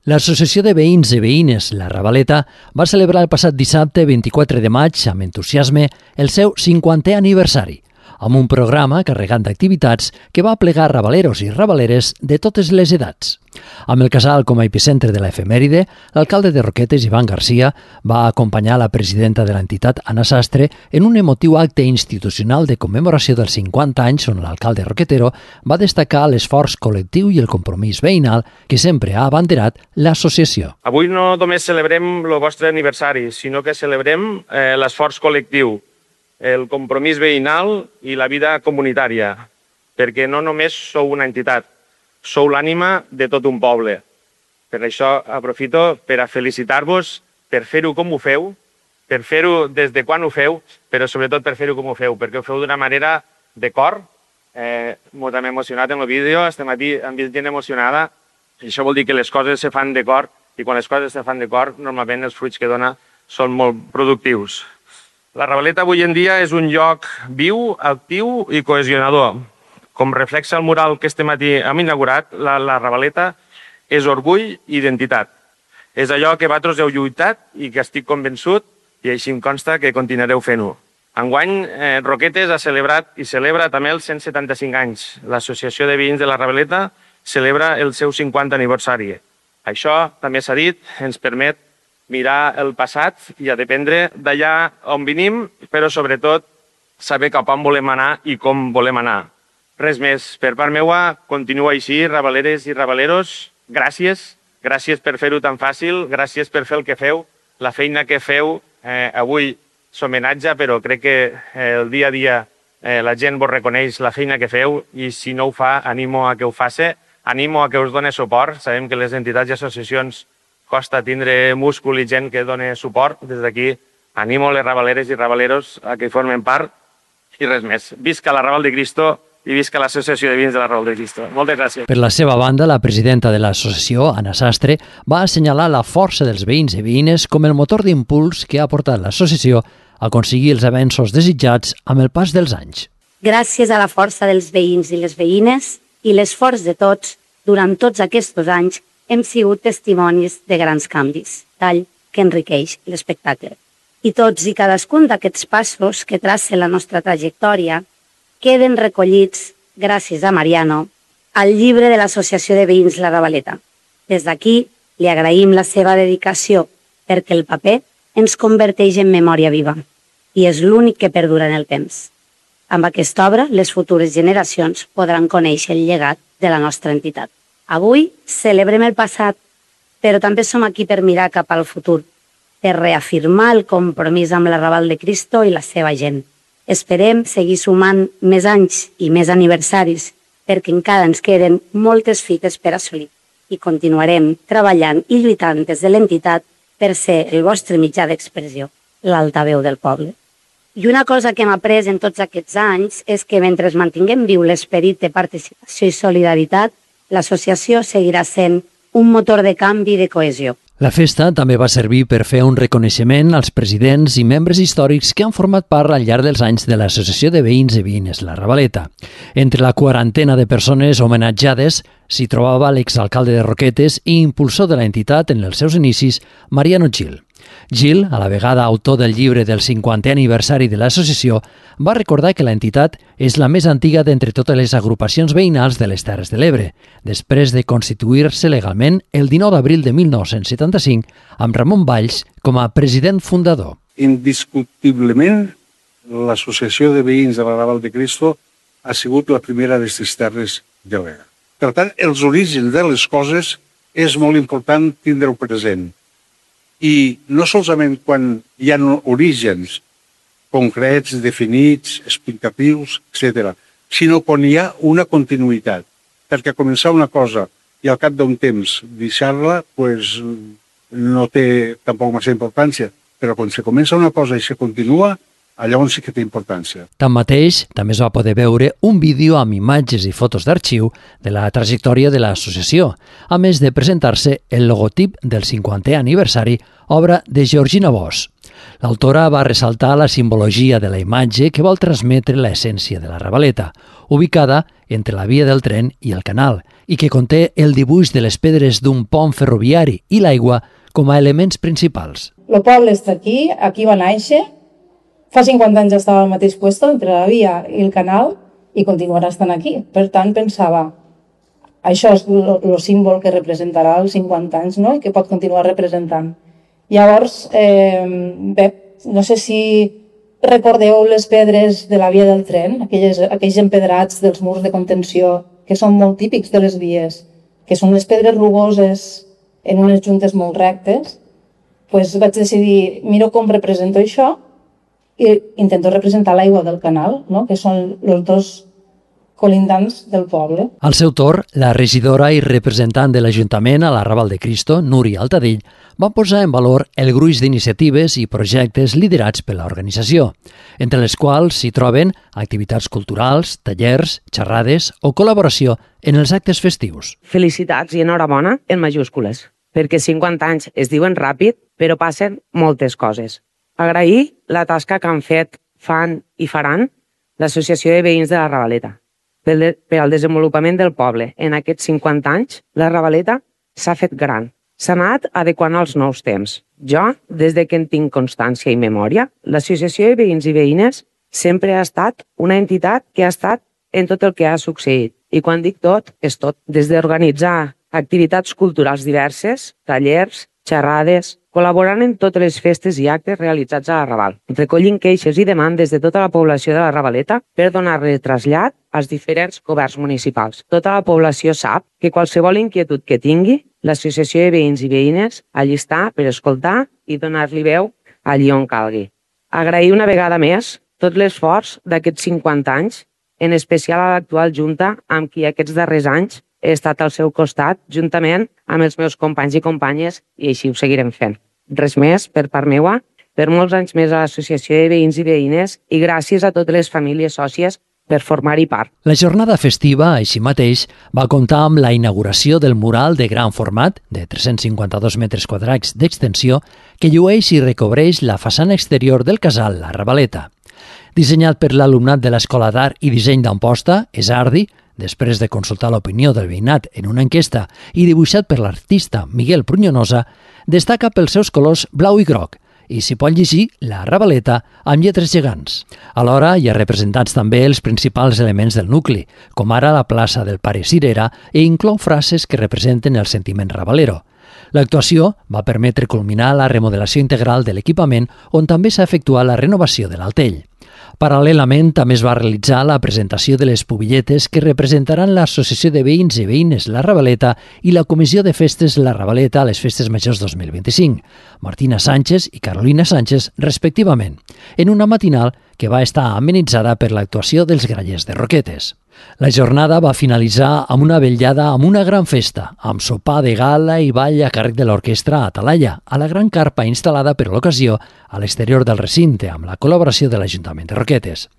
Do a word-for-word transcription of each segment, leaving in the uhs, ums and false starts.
L'Associació de Veïns i Veïnes La Ravaleta va celebrar el passat dissabte vint-i-quatre de maig amb entusiasme el seu cinquantè aniversari, amb un programa carregant d'activitats que va aplegar rabaleros i rabaleres de totes les edats. Amb el casal com a epicentre de l'efemèride, l'alcalde de Roquetes, Ivan Garcia, va acompanyar la presidenta de l'entitat, Anna Sastre, en un emotiu acte institucional de commemoració dels cinquanta anys on l'alcalde roquetero va destacar l'esforç col·lectiu i el compromís veïnal que sempre ha abanderat l'associació. Avui no només celebrem el vostre aniversari, sinó que celebrem eh, l'esforç col·lectiu, el compromís veïnal i la vida comunitària, perquè no només sou una entitat, sou l'ànima de tot un poble. Per això aprofito per a felicitar-vos per fer-ho com ho feu, per fer-ho des de quan ho feu, però sobretot per fer-ho com ho feu, perquè ho feu d'una manera de cor. Eh, M'ho hem emocionat en el vídeo, este matí hem vist gent emocionada, i això vol dir que les coses se fan de cor, i quan les coses se fan de cor, normalment els fruits que dona són molt productius. La Ravaleta avui en dia és un lloc viu, actiu i cohesionador. Com reflexa el mural que este matí hem inaugurat, la, la Ravaleta és orgull i identitat. És allò que vosaltres heu lluitat i que estic convençut, i així em consta que continuareu fent-ho. Enguany, eh, Roquetes ha celebrat i celebra també els cent setanta-cinc anys. L'Associació de Veïns de la Ravaleta celebra el seu cinquantè aniversari. Això, també s'ha dit, ens permet mirar el passat i a dependre d'allà on venim, però sobretot saber cap on volem anar i com volem anar. Res més. Per part meua, continua així, ravaleres i ravaleros. Gràcies. Gràcies per fer-ho tan fàcil. Gràcies per fer el que feu. La feina que feu eh, avui s'homenatja, però crec que eh, el dia a dia eh, la gent vos reconeix la feina que feu i si no ho fa, animo a que ho faci. Animo a que us doni suport. Sabem que les entitats i associacions costa tindre múscul i gent que doni suport. Des d'aquí animo les ravaleres i ravaleros a que formen part i res més. Visca la Raval de Cristo i visca l'Associació de Veïns de la Raval de Cristo. Moltes gràcies. Per la seva banda, la presidenta de l'associació, Anna Sastre, va assenyalar la força dels veïns i veïnes com el motor d'impuls que ha portat l'associació a aconseguir els avenços desitjats amb el pas dels anys. Gràcies a la força dels veïns i les veïnes i l'esforç de tots, durant tots aquests anys hem sigut testimonis de grans canvis, tal que enriqueix l'espectacle. I tots i cadascun d'aquests passos que traça la nostra trajectòria queden recollits, gràcies a Mariano, al llibre de l'Associació de Veïns La Ravaleta. Des d'aquí li agraïm la seva dedicació perquè el paper ens converteix en memòria viva i és l'únic que perdura en el temps. Amb aquesta obra, les futures generacions podran conèixer el llegat de la nostra entitat. Avui celebrem el passat, però també som aquí per mirar cap al futur, per reafirmar el compromís amb la Raval de Cristo i la seva gent. Esperem seguir sumant més anys i més aniversaris perquè encara ens queden moltes fites per assolir i continuarem treballant i lluitant des de l'entitat per ser el vostre mitjà d'expressió, l'altaveu del poble. I una cosa que hem après en tots aquests anys és que mentre mantinguem viu l'esperit de participació i solidaritat, l'associació seguirà sent un motor de canvi i de cohesió. La festa també va servir per fer un reconeixement als presidents i membres històrics que han format part al llarg dels anys de l'Associació de Veïns i Veïnes La Ravaleta. Entre la quarantena de persones homenatjades s'hi trobava l'exalcalde de Roquetes i impulsor de l'entitat en els seus inicis, Mariano Gil. Gil, a la vegada autor del llibre del cinquantè aniversari de l'associació, va recordar que l'entitat és la més antiga d'entre totes les agrupacions veïnals de les Terres de l'Ebre, després de constituir-se legalment el dinou d'abril de mil nou-cents setanta-cinc amb Ramon Valls com a president fundador. Indiscutiblement, l'Associació de Veïns de la Raval de Cristo ha sigut la primera d'aquestes Terres de l'Ebre. Per tant, els orígens de les coses és molt important tindre-ho present. I no solament quan hi ha orígens concrets, definits, explicatius, etcètera, sinó quan hi ha una continuïtat. Perquè començar una cosa i al cap d'un temps deixar-la, pues, no té tampoc massa importància. Però quan se comença una cosa i se continua, llavors sí que té importància. Tanmateix, també es va poder veure un vídeo amb imatges i fotos d'arxiu de la trajectòria de l'associació, a més de presentar-se el logotip del cinquantè aniversari, obra de Georgina Bosch. L'autora va ressaltar la simbologia de la imatge que vol transmetre l'essència de la Ravaleta, ubicada entre la via del tren i el canal, i que conté el dibuix de les pedres d'un pont ferroviari i l'aigua com a elements principals. El poble està aquí, aquí va néixer, fa cinquanta anys estava al mateix lloc entre la via i el canal i continuarà estant aquí. Per tant, pensava, això és el símbol que representarà els cinquanta anys, no? I que pot continuar representant. Llavors, eh, bé, no sé si recordeu les pedres de la via del tren, aquelles, aquells empedrats dels murs de contenció, que són molt típics de les vies, que són les pedres rugoses en unes juntes molt rectes, doncs vaig decidir, miro com represento això i intento representar l'aigua del canal, no? Que són els dos colindants del poble. Al seu torn, la regidora i representant de l'Ajuntament a l'Arrabal de Cristo, Núria Altadell, va posar en valor el gruix d'iniciatives i projectes liderats per l'organització, entre les quals s'hi troben activitats culturals, tallers, xerrades o col·laboració en els actes festius. Felicitats i enhorabona en majúscules, perquè cinquanta anys es diuen ràpid, però passen moltes coses. Agrair la tasca que han fet, fan i faran l'Associació de Veïns de la Ravaleta. Per al desenvolupament del poble en aquests cinquanta anys, la Ravaleta s'ha fet gran. S'ha anat adequant als nous temps. Jo, des de que en tinc constància i memòria, l'Associació de Veïns i Veïnes sempre ha estat una entitat que ha estat en tot el que ha succeït. I quan dic tot, és tot. Des d'organitzar activitats culturals diverses, tallers, xerrades, col·laborant en totes les festes i actes realitzats a la Raval, recollint queixes i demandes de tota la població de la Ravaleta per donar-li trasllat als diferents governs municipals. Tota la població sap que qualsevol inquietud que tingui, l'Associació de Veïns i Veïnes allí està per escoltar i donar-li veu allí on calgui. Agrair una vegada més tot l'esforç d'aquests cinquanta anys, en especial a l'actual Junta, amb qui aquests darrers anys he estat al seu costat, juntament amb els meus companys i companyes, i així ho seguirem fent. Res més per part meua, per molts anys més a l'Associació de Veïns i Veïnes i gràcies a totes les famílies sòcies per formar-hi part. La jornada festiva, així mateix, va comptar amb la inauguració del mural de gran format, de tres-cents cinquanta-dos metres quadrats d'extensió, que llueix i recobreix la façana exterior del casal La Ravaleta. Dissenyat per l'alumnat de l'Escola d'Art i Disseny d'Amposta, Esardi, després de consultar l'opinió del veïnat en una enquesta i dibuixat per l'artista Miguel Prunyonosa, destaca pels seus colors blau i groc i s'hi pot llegir La Ravaleta amb lletres gegants. Alhora hi ha representats també els principals elements del nucli, com ara la plaça del Pare Cirera, i inclou frases que representen el sentiment ravalero. L'actuació va permetre culminar la remodelació integral de l'equipament, on també s'ha efectuat la renovació de l'altell. Paral·lelament, també es va realitzar la presentació de les pubilletes que representaran l'Associació de Veïns i Veïnes La Ravaleta i la Comissió de Festes La Ravaleta a les Festes Majors dos mil vint-i-cinc, Martina Sánchez i Carolina Sánchez, respectivament, en una matinal que va estar amenitzada per l'actuació dels Grallers de Roquetes. La jornada va finalitzar amb una vetllada amb una gran festa, amb sopar de gala i ball a càrrec de l'orquestra Atalaya, a la gran carpa instal·lada per l'ocasió a l'exterior del recinte, amb la col·laboració de l'Ajuntament de Roquetes.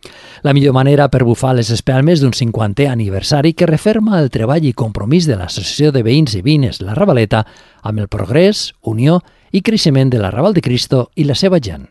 La millor manera per bufar les espelmes d'un cinquantè aniversari que referma el treball i compromís de l'Associació de Veïns i Veïnes La Ravaleta amb el progrés, unió i creixement de l'Arrabal de Cristo i la seva gent.